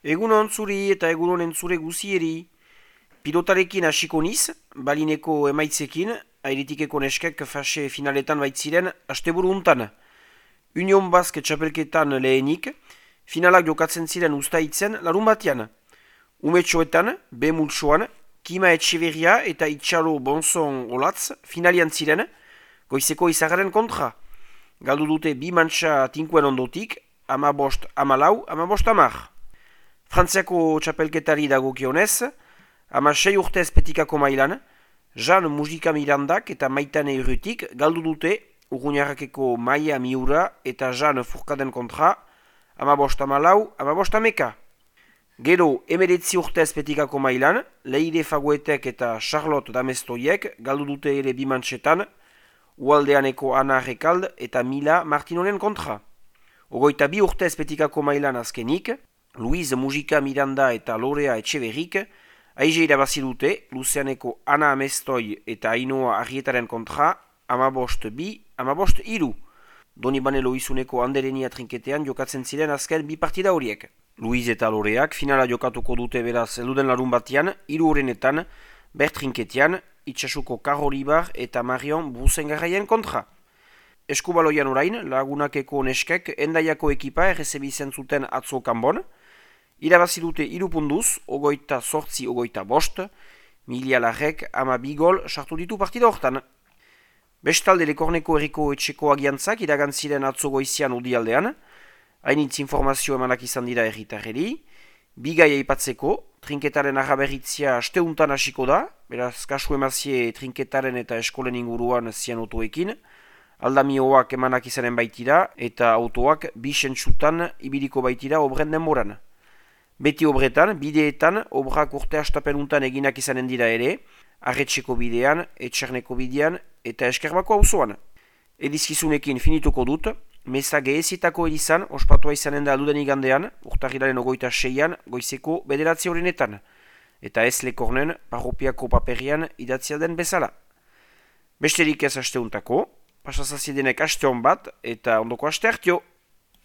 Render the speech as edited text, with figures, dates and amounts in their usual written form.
Egunon zuri eta egunon entzure guzieri. Pilotarekin hasiko niz, balineko emaitzekin, airetikeko neskek fase finaletan baitziren asteburu untan. Union Basque txapelketan lehenik, finalak jokatzen ziren ustaitzen larun batean. Umetxoetan, B multsoan, Kima Etxeverria eta Itxalo Bonzon Olatz finalian ziren, goizeko izagaren kontra. Galdu dute bi mantxa tinkuen ondotik, 15-14, 15-10. Frantziako txapelketari dagokionez, 16 urtez petikako mailan, Jean Mujika Mirandak eta Maitane Urrutik galdu dute Urruñarrakeko Maia Miura eta Jean Furkaden kontra, 15-14, 15-11. Gero, 19 urtez petikako mailan, Leire Faguetek eta Charlotte Damestoiek galdu dute ere bimantxetan, Ualdeaneko Ana Rekald eta Mila Martinonen kontra. 22 urtez petikako mailan azkenik, Luiz Mujika Miranda eta Lorea Etxeberrik aize irabazi dute Luzeaneko Ana Amestoi eta Ainoa Arrietaren kontra 15-2, 15-3. Donibane Loizuneko Anderenia trinketean jokatzen ziren azken bi partida horiek. Luiz eta Loreak finala jokatuko dute beraz elduden larun batean, 3 horrenetan, Bert trinketean, Itxasuko Karolibar eta Marion Brusengarraien kontra. Eskubaloian orain, Lagunakeko neskek Endaiako ekipa errezebizen zuten atzo kanbon, irabazi dute 3 punduz, 28-5, Milia Larrek 12 gol sartu ditu partida hortan. Bestalde Lekorneko Herriko etxeko agiantzak iragantziren atzo goizian odialdean, hainitz informazio emanak izan dira herritarreri, bigai aipatzeko, trinketaren arraberitzia asteuntan hasiko da, beraz kasu emazie trinketaren eta eskolen inguruan zian otoekin, aldamioak emanak izanen baitira eta autoak bi sentsutan ibiliko baitira obren denboran. Beti obretan, bideetan, obrak urte astapenuntan eginak izanen dira ere, Arretxeko bidean, Etxerneko bidean eta Eskerbako auzoan. Edizkizunekin finituko dut, meza gehezitako edizan, ospatua izanen da alduden igandean, urtarrilaren 26an, goizeko 9 horrenetan, eta ez Lekornen, parropiako paperian idatzia den bezala. Besterik ez asteuntako, pasazazidenek aste hon bat, eta ondoko aste hartio.